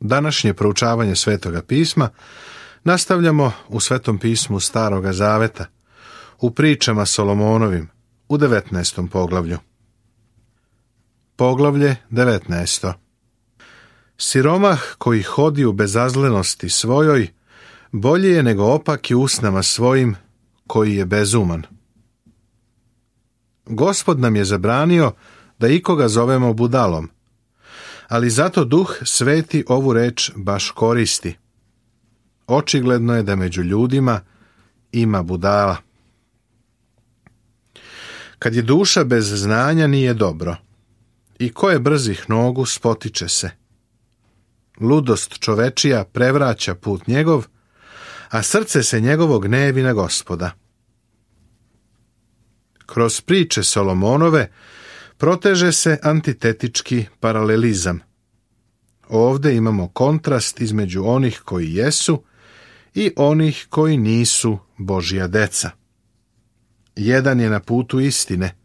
Današnje proučavanje Svetoga pisma nastavljamo u Svetom pismu Staroga Zaveta, u pričama Solomonovim, u 19. poglavlju. Poglavlje 19. Siromah koji hodi u bezazlenosti svojoj, bolje je nego opaki usnama svojim, koji je bezuman. Gospod nam je zabranio da ikoga zovemo budalom, ali zato Duh Sveti ovu reč baš koristi. Očigledno je da među ljudima ima budala. Kad je duša bez znanja, nije dobro. I ko je brzih nogu, spotiče se. Ludost čovečija prevraća put njegov, a srce se njegovo gnevi na Gospoda. Kroz priče Solomonove proteže se antitetički paralelizam. Ovdje imamo kontrast između onih koji jesu i onih koji nisu Božja deca. Jedan je na putu istine,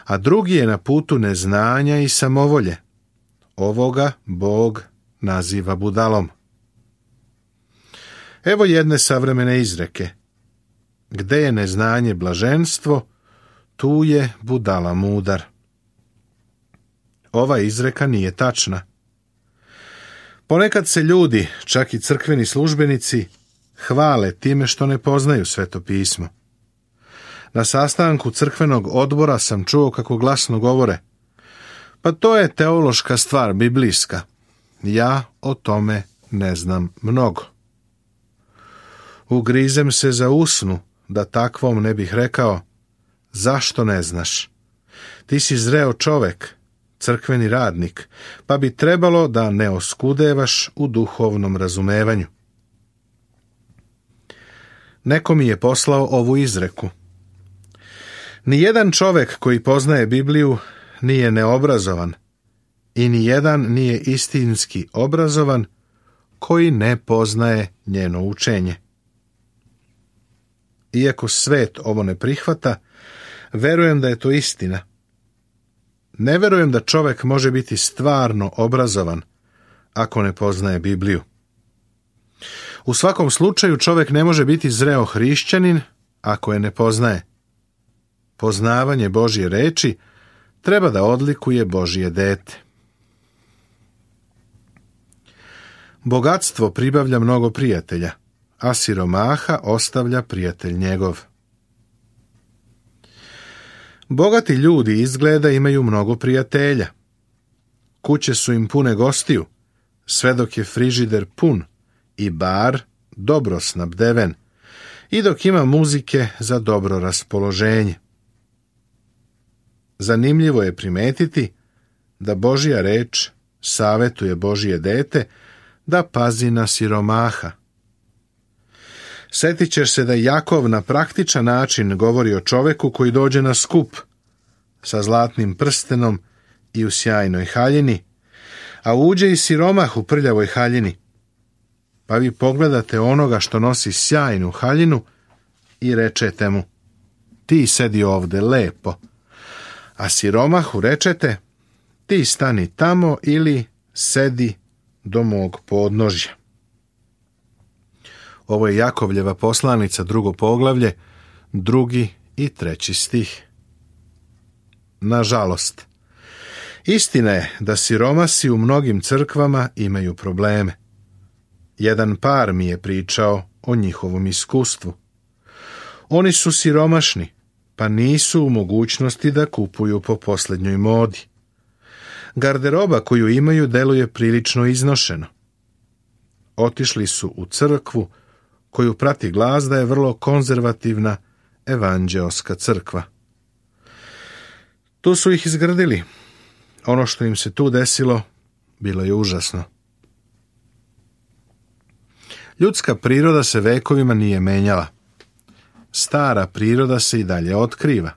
a drugi je na putu neznanja i samovolje. Ovoga Bog naziva budalom. Evo jedne savremene izreke. Gde je neznanje blaženstvo, tu je budala mudar. Ova izreka nije tačna. Ponekad se ljudi, čak i crkveni službenici, hvale time što ne poznaju Sveto pismo. Na sastanku crkvenog odbora sam čuo kako glasno govore: pa to je teološka stvar, biblijska. Ja o tome ne znam mnogo. Ugrizem se za usnu da takvom ne bih rekao: zašto ne znaš? Ti si zreo čovek, crkveni radnik, pa bi trebalo da ne oskudevaš u duhovnom razumevanju. Neko mi je poslao ovu izreku. Nijedan čovek koji poznaje Bibliju nije neobrazovan i nijedan nije istinski obrazovan koji ne poznaje njeno učenje. Iako svet ovo ne prihvata, verujem da je to istina. Ne verujem da čovek može biti stvarno obrazovan ako ne poznaje Bibliju. U svakom slučaju čovek ne može biti zreo hrišćanin ako je ne poznaje. Poznavanje Božje reči treba da odlikuje Božje dete. Bogatstvo pribavlja mnogo prijatelja, a siromaha ostavlja prijatelj njegov. Bogati ljudi izgleda imaju mnogo prijatelja. Kuće su im pune gostiju, sve dok je frižider pun i bar dobro snabdeven i dok ima muzike za dobro raspoloženje. Zanimljivo je primetiti da Božja reč savetuje Božje dete da pazi na siromaha. Setit ćeš se da Jakov na praktičan način govori o čoveku koji dođe na skup sa zlatnim prstenom i u sjajnoj haljini, a uđe i siromah u prljavoj haljini. Pa vi pogledate onoga što nosi sjajnu haljinu i rečete mu: ti sedi ovde lepo, a siromahu rečete: ti stani tamo ili sedi do mog podnožja. Ovo je Jakovljeva poslanica, 2. poglavlje, 2. i 3. stih. Nažalost, istina je da siromasi u mnogim crkvama imaju probleme. Jedan par mi je pričao o njihovom iskustvu. Oni su siromašni, pa nisu u mogućnosti da kupuju po posljednjoj modi. Garderoba koju imaju deluje prilično iznošeno. Otišli su u crkvu koju prati glas da je vrlo konzervativna evanđeoska crkva. Tu su ih izgrdili. Ono što im se tu desilo bilo je užasno. Ljudska priroda se vekovima nije menjala. Stara priroda se i dalje otkriva.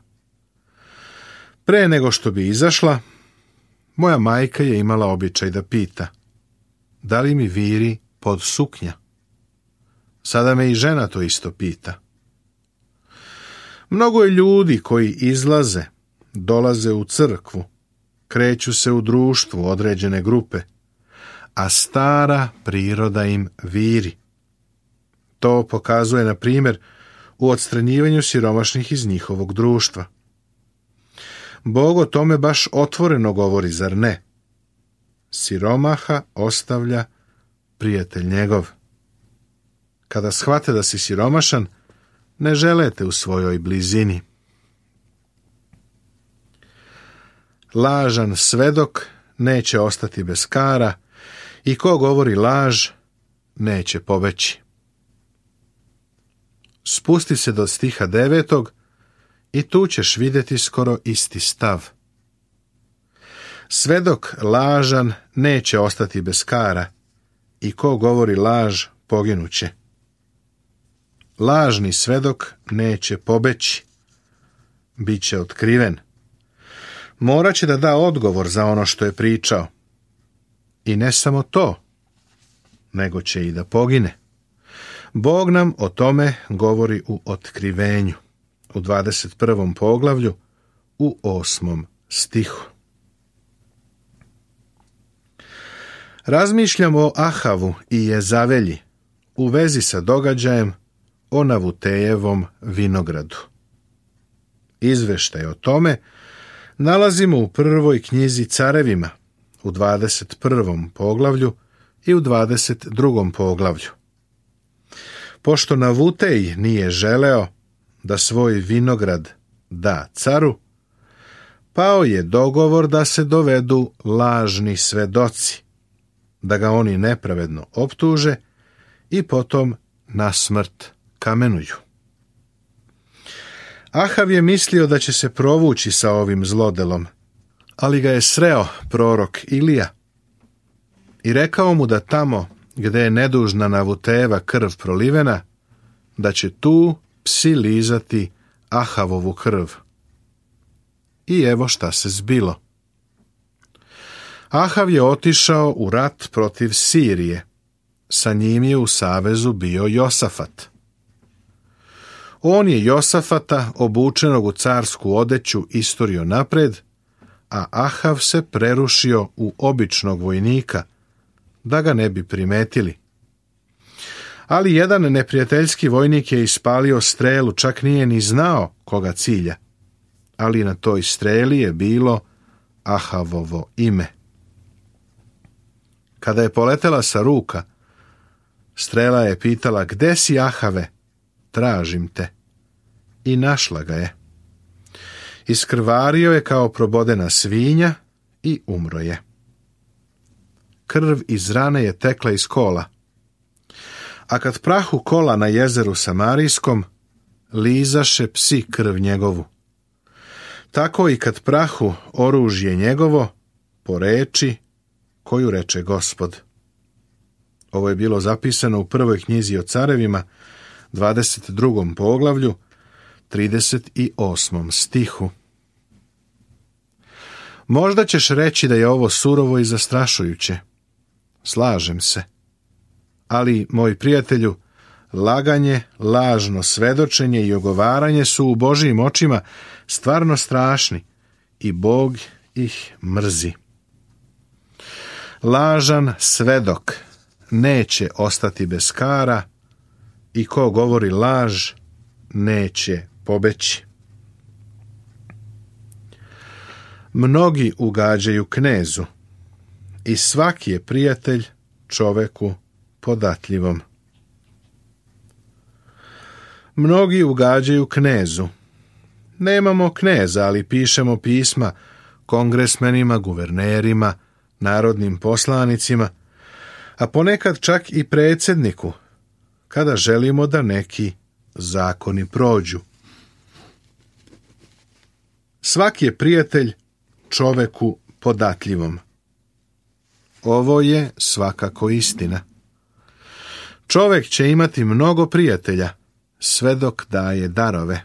Pre nego što bi izašla, moja majka je imala običaj da pita: da li mi viri pod suknja? Sada me i žena to isto pita. Mnogo je ljudi koji izlaze, dolaze u crkvu, kreću se u društvu određene grupe, a stara priroda im viri. To pokazuje, na primjer, u odstranjivanju siromašnih iz njihovog društva. Bog o tome baš otvoreno govori, zar ne? Siromaha ostavlja prijatelj njegov. Kada shvate da si siromašan, ne žele te u svojoj blizini. Lažan svedok neće ostati bez kara i ko govori laž neće pobeći. Spusti se do stiha 9. i tu ćeš vidjeti skoro isti stav. Svedok lažan neće ostati bez kara i ko govori laž poginuće. Lažni svedok neće pobeći, bit će otkriven. Morat će da da odgovor za ono što je pričao. I ne samo to, nego će i da pogine. Bog nam o tome govori u Otkrivenju, u 21. poglavlju, u 8. stihu. Razmišljamo o Ahavu i Jezavelji u vezi sa događajem o Navutejevom vinogradu. Izveštaj o tome nalazimo u prvoj knjizi Carevima, u 21. poglavlju i u 22. poglavlju. Pošto Navutej nije želeo da svoj vinograd da caru, pao je dogovor da se dovedu lažni svedoci, da ga oni nepravedno optuže i potom na smrt kamenuju. Ahav je mislio da će se provući sa ovim zlodelom, ali ga je sreo prorok Ilija i rekao mu da tamo gdje je nedužna Navutejeva krv prolivena, da će tu psi lizati Ahavovu krv. I evo šta se zbilo. Ahav je otišao u rat protiv Sirije. Sa njim je u savezu bio Josafat. On je Josafata, obučenog u carsku odeću, isturio napred, a Ahav se prerušio u običnog vojnika, da ga ne bi primetili. Ali jedan neprijateljski vojnik je ispalio strelu, čak nije ni znao koga cilja, ali na toj streli je bilo Ahavovo ime. Kada je poletela sa ruka, strela je pitala: "Gde si, Ahave? Tražim te." I našla ga je. Iskrvario je kao probodena svinja i umro je. Krv iz rane je tekla iz kola. A kad prahu kola na jezeru Samarijskom, lizaše psi krv njegovu. Tako i kad prahu oružje njegovo, po reči koju reče Gospod. Ovo je bilo zapisano u prvoj knjizi o Carevima, 22. poglavlju, 38. stihu. Možda ćeš reći da je ovo surovo i zastrašujuće. Slažem se. Ali, moj prijatelju, laganje, lažno svedočenje i ogovaranje su u Božijim očima stvarno strašni i Bog ih mrzi. Lažan svedok neće ostati bez kara i ko govori laž neće pobeći. Mnogi ugađaju knezu i svaki je prijatelj čoveku podatljivom. Mnogi ugađaju knezu. Nemamo kneza, ali pišemo pisma kongresmenima, guvernerima, narodnim poslanicima, a ponekad čak i predsjedniku, kada želimo da neki zakoni prođu. Svaki je prijatelj čoveku podatljivom. Ovo je svakako istina. Čovek će imati mnogo prijatelja, sve dok daje darove.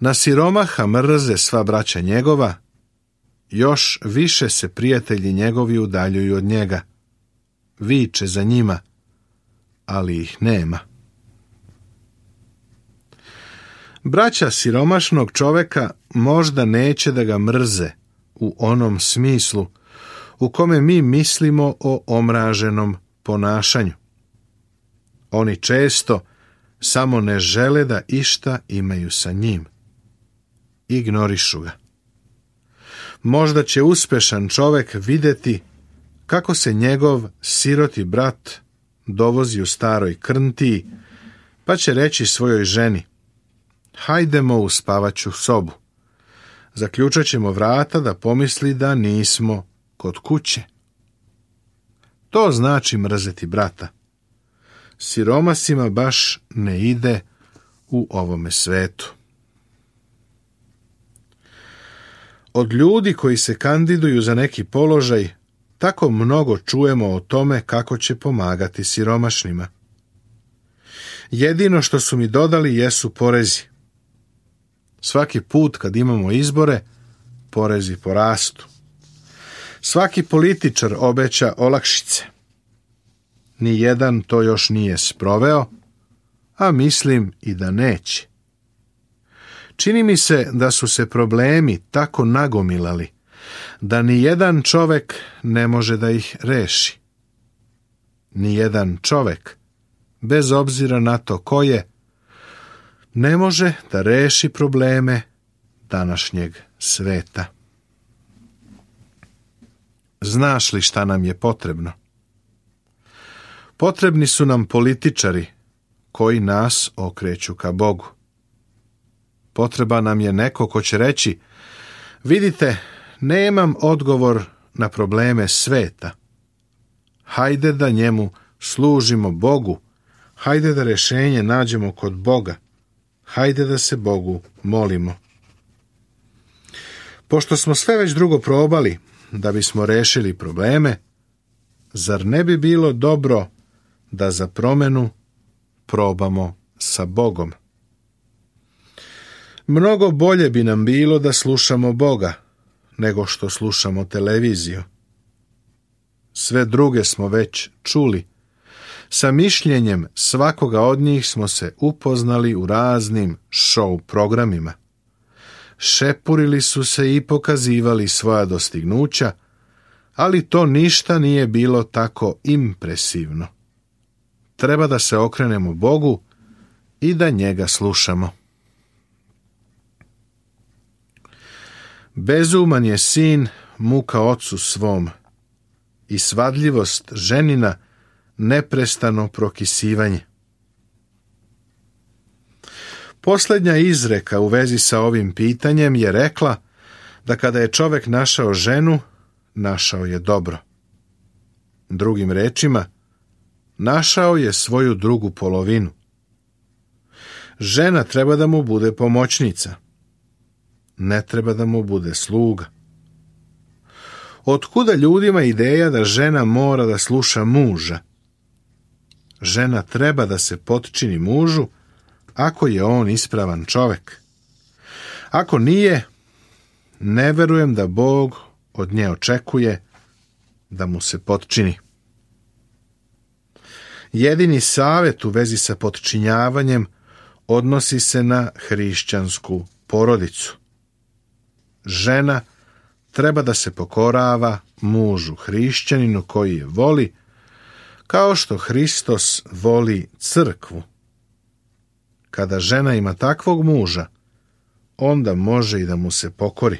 Na siromaha mrze sva braća njegova, još više se prijatelji njegovi udaljuju od njega. Viče za njima, ali ih nema. Braća siromašnog čoveka možda neće da ga mrze u onom smislu u kome mi mislimo o omraženom ponašanju. Oni često samo ne žele da išta imaju sa njim. Ignorišu ga. Možda će uspešan čovek vidjeti kako se njegov siroti brat dovozi u staroj krntiji, pa će reći svojoj ženi: hajdemo u spavaću sobu. Zaključat ćemo vrata da pomisli da nismo kod kuće. To znači mrzeti brata. Siromasima baš ne ide u ovome svetu. Od ljudi koji se kandiduju za neki položaj, tako mnogo čujemo o tome kako će pomagati siromašnima. Jedino što su mi dodali jesu porezi. Svaki put kad imamo izbore, porezi porastu. Svaki političar obeća olakšice. Nijedan to još nije sproveo, a mislim i da neće. Čini mi se da su se problemi tako nagomilali da nijedan čovek ne može da ih reši. Nijedan čovek, bez obzira na to ko je, ne može da reši probleme današnjeg sveta. Znaš li šta nam je potrebno? Potrebni su nam političari koji nas okreću ka Bogu. Potreba nam je neko ko će reći: vidite, nemam odgovor na probleme sveta. Hajde da njemu služimo Bogu. Hajde da rješenje nađemo kod Boga. Hajde da se Bogu molimo. Pošto smo sve već drugo probali da bismo rešili probleme, zar ne bi bilo dobro da za promenu probamo sa Bogom? Mnogo bolje bi nam bilo da slušamo Boga nego što slušamo televiziju. Sve druge smo već čuli. Sa mišljenjem svakoga od njih smo se upoznali u raznim show programima. Šepurili su se i pokazivali svoja dostignuća, ali to ništa nije bilo tako impresivno. Treba da se okrenemo Bogu i da njega slušamo. Bezuman je sin muka ocu svom i svadljivost ženina neprestano prokisivanje. Posljednja izreka u vezi sa ovim pitanjem je rekla da kada je čovjek našao ženu, našao je dobro. Drugim rečima, našao je svoju drugu polovinu. Žena treba da mu bude pomoćnica. Ne treba da mu bude sluga. Otkuda ljudima ideja da žena mora da sluša muža? Žena treba da se potčini mužu ako je on ispravan čovjek. Ako nije, ne verujem da Bog od nje očekuje da mu se potčini. Jedini savjet u vezi sa potčinjavanjem odnosi se na hrišćansku porodicu. Žena treba da se pokorava mužu hrišćaninu koji je voli, kao što Hristos voli crkvu. Kada žena ima takvog muža, onda može i da mu se pokori.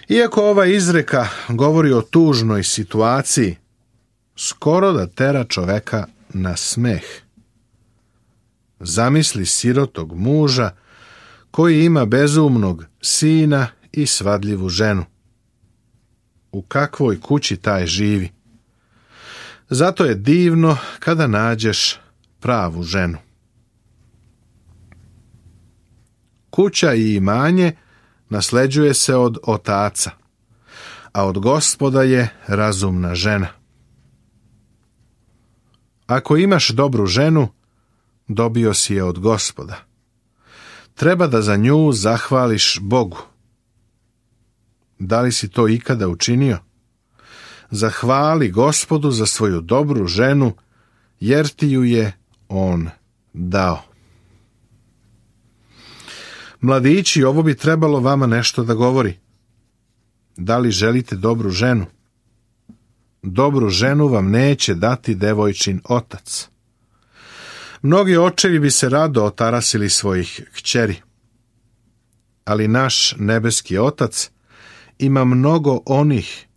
Iako ova izreka govori o tužnoj situaciji, skoro da tera čoveka na smeh. Zamisli sirotog muža koji ima bezumnog sina i svadljivu ženu. U kakvoj kući taj živi? Zato je divno kada nađeš pravu ženu. Kuća i imanje nasleđuje se od otaca, a od Gospoda je razumna žena. Ako imaš dobru ženu, dobio si je od Gospoda. Treba da za nju zahvališ Bogu. Da li si to ikada učinio? Zahvali Gospodu za svoju dobru ženu, jer ti ju je on dao. Mladići, ovo bi trebalo vama nešto da govori. Da li želite dobru ženu? Dobru ženu vam neće dati devojčin otac. Mnogi očevi bi se rado otarasili svojih kćeri, ali naš nebeski Otac ima mnogo onih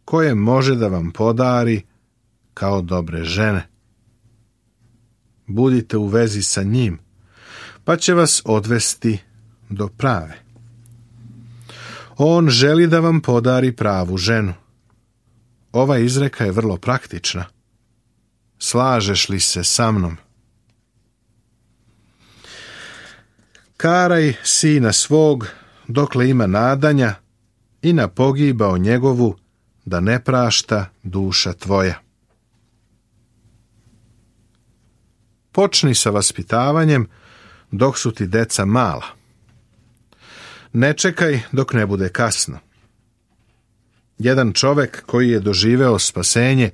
koje može da vam podari kao dobre žene. Budite u vezi sa njim, pa će vas odvesti do prave. On želi da vam podari pravu ženu. Ova izreka je vrlo praktična. Slažeš li se sa mnom? Karaj sina svog dokle ima nadanja i na pogibao njegovu da ne prašta duša tvoja. Počni sa vaspitavanjem dok su ti deca mala. Ne čekaj dok ne bude kasno. Jedan čovek koji je doživeo spasenje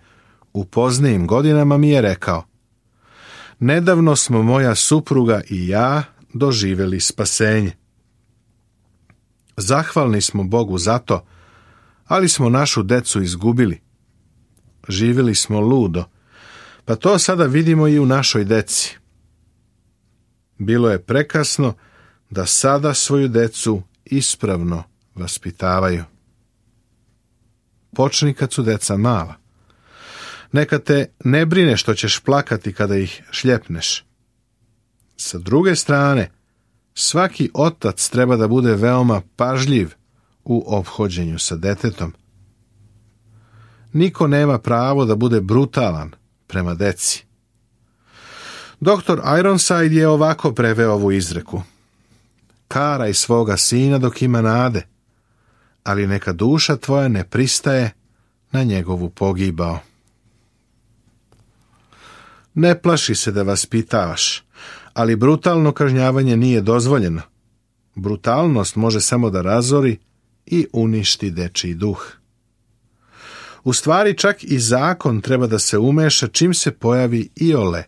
u poznijim godinama mi je rekao: nedavno smo moja supruga i ja doživjeli spasenje. Zahvalni smo Bogu za to, ali smo našu decu izgubili. Živjeli smo ludo, pa to sada vidimo i u našoj deci. Bilo je prekasno da sada svoju decu ispravno vaspitavaju. Počni kad su deca mala. Neka te ne brine što ćeš plakati kada ih šljepneš. Sa druge strane, svaki otac treba da bude veoma pažljiv u ophođenju sa detetom. Niko nema pravo da bude brutalan prema deci. Dr. Ironside je ovako preveo ovu izreku: karaj svoga sina dok ima nade, ali neka duša tvoja ne pristaje na njegovu pogibao. Ne plaši se da vaspitavaš, ali brutalno kažnjavanje nije dozvoljeno. Brutalnost može samo da razori i uništi dečiji duh. U stvari čak i zakon treba da se umeša čim se pojavi iole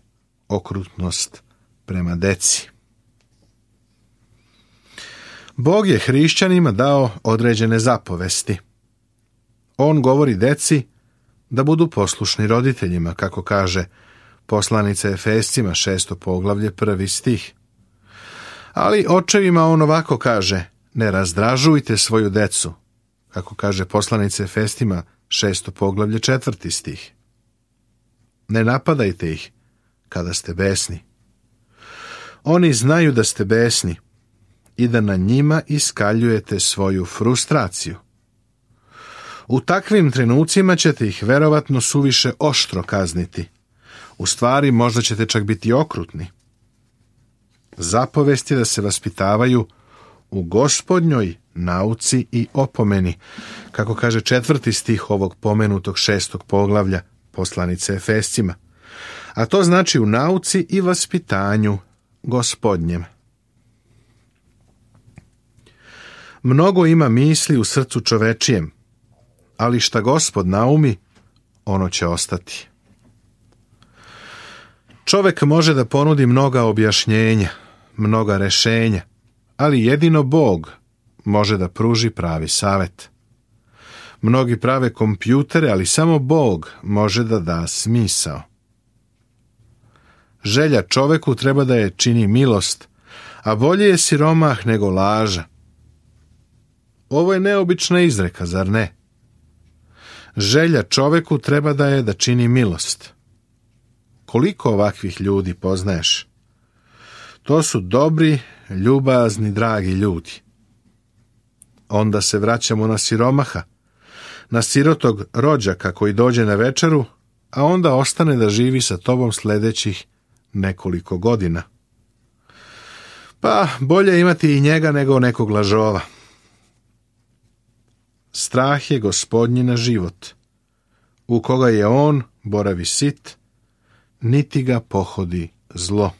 okrutnost prema deci. Bog je hrišćanima dao određene zapovesti. On govori deci da budu poslušni roditeljima, kako kaže poslanica Efescima 6. poglavlje 1. stih. Ali očevima on ovako kaže: ne razdražujte svoju decu, kako kaže poslanica Efescima 6. poglavlje 4. stih. Ne napadajte ih kada ste besni. Oni znaju da ste besni i da na njima iskaljujete svoju frustraciju. U takvim trenucima ćete ih verovatno suviše oštro kazniti. U stvari, možda ćete čak biti okrutni. Zapovest je da se vaspitavaju u Gospodnjoj nauci i opomeni, kako kaže 4. stih ovog pomenutog 6. poglavlja poslanice Efescima. A to znači u nauci i vaspitanju Gospodnjem. Mnogo ima misli u srcu čovečijem, ali šta Gospod naumi, ono će ostati. Čovek može da ponudi mnoga objašnjenja, mnoga rešenja, ali jedino Bog može da pruži pravi savet. Mnogi prave kompjutere, ali samo Bog može da da smisao. Želja čoveku treba da je čini milost, a bolje je siromah nego laža. Ovo je neobična izreka, zar ne? Želja čoveku treba da je da čini milost. Koliko ovakvih ljudi poznaješ? To su dobri, ljubazni, dragi ljudi. Onda se vraćamo na siromaha, na sirotog rođaka koji dođe na večeru, a onda ostane da živi sa tobom sljedećih nekoliko godina. Pa bolje imati i njega nego nekog lažova. Strah je Gospodnji na život, u koga je on boravi sit, niti ga pohodi zlo.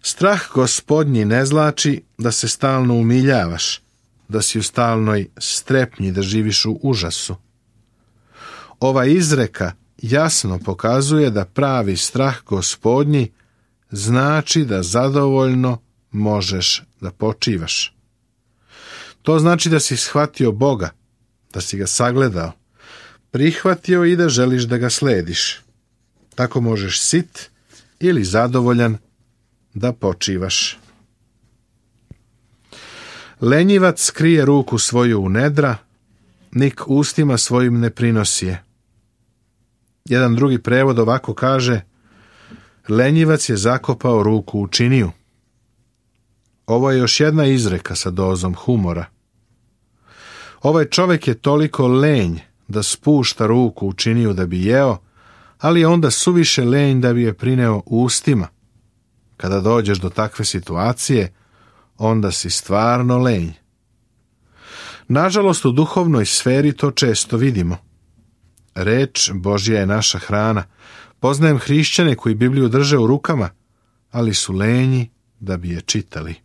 Strah Gospodnji ne znači da se stalno umiljavaš, da si u stalnoj strepnji, da živiš u užasu. Ova izreka jasno pokazuje da pravi strah Gospodnji znači da zadovoljno možeš da počivaš. To znači da si shvatio Boga, da si ga sagledao, prihvatio i da želiš da ga slediš. Tako možeš sit ili zadovoljan da počivaš. Lenjivac krije ruku svoju u nedra, nik ustima svojim ne prinosi je. Jedan drugi prevod ovako kaže: lenjivac je zakopao ruku u činiju. Ovo je još jedna izreka sa dozom humora. Ovaj čovjek je toliko lenj da spušta ruku u činiju da bi jeo, ali je onda suviše lenj da bi je prineo ustima. Kada dođeš do takve situacije, onda si stvarno lenj. Nažalost, u duhovnoj sferi to često vidimo. Reč Božja je naša hrana. Poznajem hrišćane koji Bibliju drže u rukama, ali su lenji da bi je čitali.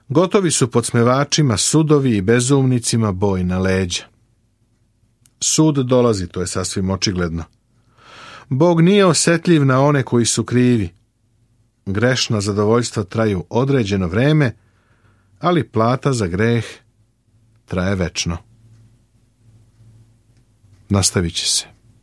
Gotovi su podsmevačima sudovi i bezumnicima boj na leđa. Sud dolazi, to je sasvim očigledno. Bog nije osjetljiv na one koji su krivi. Grešna zadovoljstva traju određeno vreme, ali plata za greh traje večno. Nastavit će se.